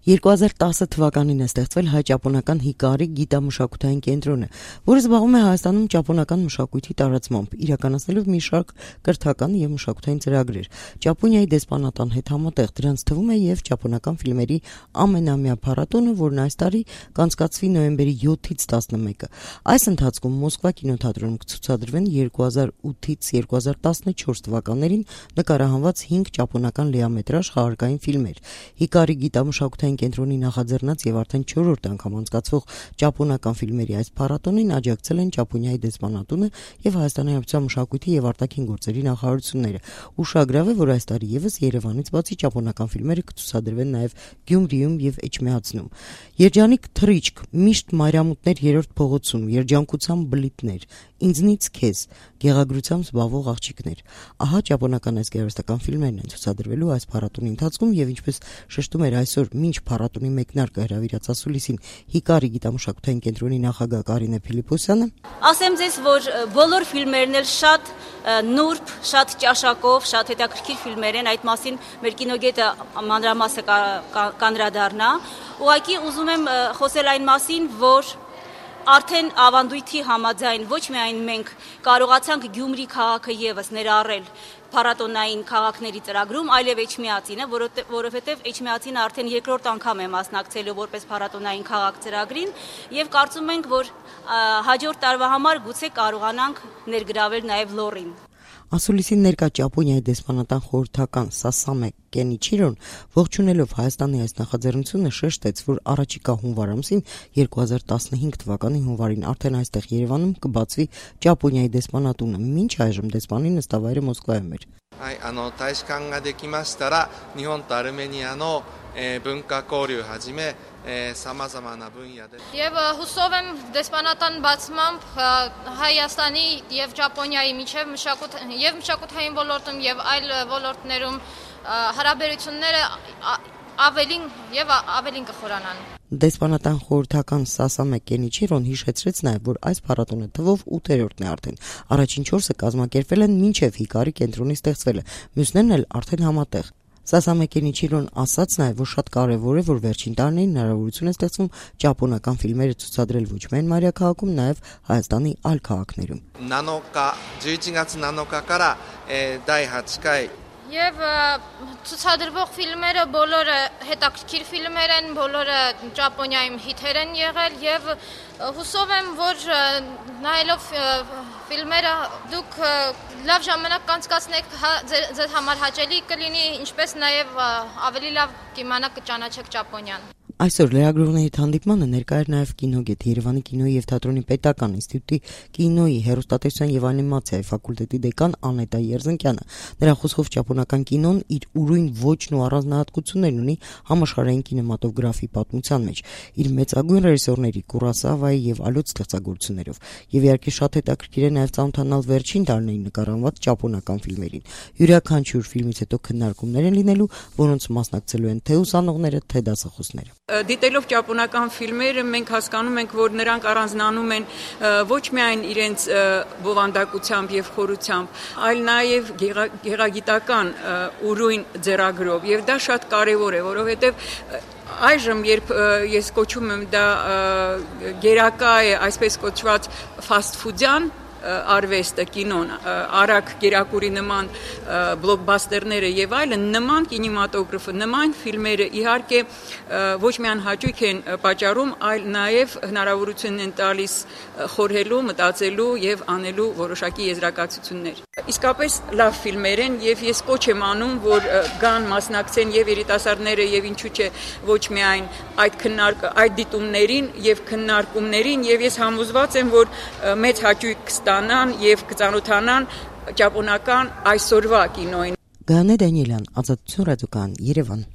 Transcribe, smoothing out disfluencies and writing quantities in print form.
2010 թվականին է ստեղծվել հայ-ճապոնական Հիկարի գիտամշակութային կենտրոնը, որը զբաղվում է Հայաստանում ճապոնական մշակույթի տարածմամբ, իրականացնելով մի շարք կրթական եւ մշակութային ծրագրեր։ Ճապոնիայի դեսպանատան հետ համատեղ դրանց թվում է եւ ճապոնական ֆիլմերի ամենամյա փառատոնը, որն այս տարի կանցկացվի նոյեմբերի 7-ից 11-ը։ Այս ընթացքում Մոսկվա կինոթատրոնում կցուցադրվեն 2008-ից 2014 թվականներին նկարահանված 5 ճապոնական լիամետրաժ խաղարկային ֆիլմեր։ Հիկարի գիտամշակութային կենտրոնի նախաձեռնած եւ արդեն 4-րդ անգամ անցկացվող ճապոնական ֆիլմերի այս փառատոնին աջակցել են Ճապոնիայի դեսպանատունը եւ Հայաստանի Հանրապետության մշակույթի եւ արտաքին գործերի նախարարությունները։ Ուշագրավ է, որ այս տարի եւս Երևանից բացի ճապոնական ֆիլմերը կցուցադրվեն նաեւ Գյումրիում եւ Էջմիածնում։ Երջանիկ թռիչք, միշտ մայրամուտներ 3-րդ փողոցում, երջանկության բլիթներ, ինձնից քեզ, գեղագրությամբ զբաղվող աղջիկներ։ Ահա ճապոնական այս գեղարվեստական ֆիլմերն են ցուցադրվելու այս փառատոնի ընթացքում եւ ինչպես շեշտում էր այսօր մինչ փառատոնի մեկնարկը հրավիրած ասուլիսին Հիկարի գիտամշակութային կենտրոնի նախագահ Կարինե Փիլիպոսյանը, ասեմ ձեզ, որ բոլոր ֆիլմերն էլ շատ նուրբ, շատ ճաշակով, շատ հետաքրքիր ֆիլմեր են, այդ մասին մեր կինոգետը մանրամասը կանրադառնա։ Ուղղակի ուզում եմ խոսել այն մասին, որ արդեն ավանդույթի համաձայն ոչ միայն մենք կարողացանք Գյումրի քաղաքը եւս ներառել փառատոնային քաղաքների ծրագրում, այլև Էջմիածինը, որովհետև Էջմիածինը արդեն երկրորդ անգամ է մասնակցելու որպես փառատոնային քաղաք ծրագրին եւ կարծում ենք, որ հաջորդ տարվա համար գուցե կարողանանք ներգրավել նաեւ Լոռին։ Ասուլիսին ներկա Ճապոնիայի դեսպանատան խորհրդական Սասամե Կենիչիրոն ողջունելով Հայաստանի այս նախաձեռնությունը շեշտեց, որ առաջիկա հունվար ամսին 2015 թվականի հունվարին արդեն այստեղ Երևանում կբացվի Ճապոնիայի դեսպանատունը, մինչ այժմ դեսպանի նստավայրը Մոսկվայում էր։ 大使館ができましたら日本とアルメニアの文化交流はじめ様々な分野でԵվ հուսով եմ դեսպանատան բացմամբ Հայաստանի եւ Ճապոնիայի միջև մշակութային ոլորտում եւ այլ ոլորտներում հարաբերությունները ավելին կխորանան։ Դեսպանատան խորհրդական Սասամե Կենիչիրոն հիշեցրեց նաև, որ այս փառատոնը թվով 8-րդն է արդեն։ Առաջին 4-ը կազմակերպվել են մինչև Հիկարի կենտրոնի ստեղծվելը, մյուսներն էլ արդեն համատեղ։ Սասամե Կենիչիրոն ասաց նաև, որ շատ կարևոր է, որ վերջին տարիներին հնարավորություն է ստեղծվում ճապոնական ֆիլմերը ցուցադրել ոչ միայն մայրաքաղաքում, նաև Հայաստանի այլ քաղաքներում։ 11月7日から第8回 Եվ ցուցադրվող ֆիլմերը բոլորը հետաքրքիր ֆիլմեր են, բոլորը Ճապոնիայում հիթեր են եղել եւ հուսով եմ, որ նայելով ֆիլմերը դուք լավ ժամանակ կանցկացնեք, ձեզ համար հաճելի կլինի, ինչպես նաեւ ավելի լավ կիմանաք կճանաչեք Ճապոնիան։ Այսօր լրագրողների հանդիպմանը ներկա էր նաև կինոգետ Երևանի կինոյի եւ թատրոնի պետական ինստիտուտի կինոյի հեռուստատեսության եւ անիմացիայի ֆակուլտետի դեկան Անետա Երզնկյանը։ Նրա խոսքով ճապոնական կինոն իր ուրույն ոճն ու առանձնահատկություններն ունի համաշխարհային կինեմատոգրաֆի պատմության մեջ, իր մեծագույն ռեժիսորների Կուրոսավայի եւ այլոց ստեղծագործություններով։ Եվ իհարկե շատ հետաքրքիր է նաև ծանոթանալ վերջին տարիներին նկարահանված ճապոնական ֆիլմերին։ Յուրաքանչյուր ֆիլմից հետո քննարկումներ են լինելու, որոնց մասնակցելու են թե ուսանողները, թե դասախոսները։ Դիտելով ճապոնական ֆիլմերը մենք հասկանում ենք, որ նրանք առանձնանում են ոչ միայն իրենց բովանդակությամբ եւ խորությամբ, այլ նաեւ գեղագիտական ուրույն ձեռագրով եւ դա շատ կարեւոր է, որովհետեւ այժմ երբ ես կոչում եմ դա գերակա է, այսպես կոչված ֆաստ ֆուդյան արվեստը, կինոն, արագ գերակուրի նման բլոկբասթերները եւ այլն, նման կինեմատոգրաֆը, նման ֆիլմերը իհարկե ոչ միայն հաճույք են պատճառում, այլ նաեւ հնարավորություն են տալիս խորհելու, մտածելու եւ անելու որոշակի եզրակացություններ։ Իսկապես լավ ֆիլմեր են եւ ես կոչ եմ անում, որ գան մասնակցեն եւ երիտասարդները եւ ինչու՞ չէ ոչ միայն այդ դիտումներին եւ քննարկումներին եւ ես համոզված եմ, որ մեծ հաճույք կստանան եւ կծանոթանան ճապոնական այսօրվա կինոյին։ Գանե Դանիելյան, Ազատություն ռադիոկայան, Երևան։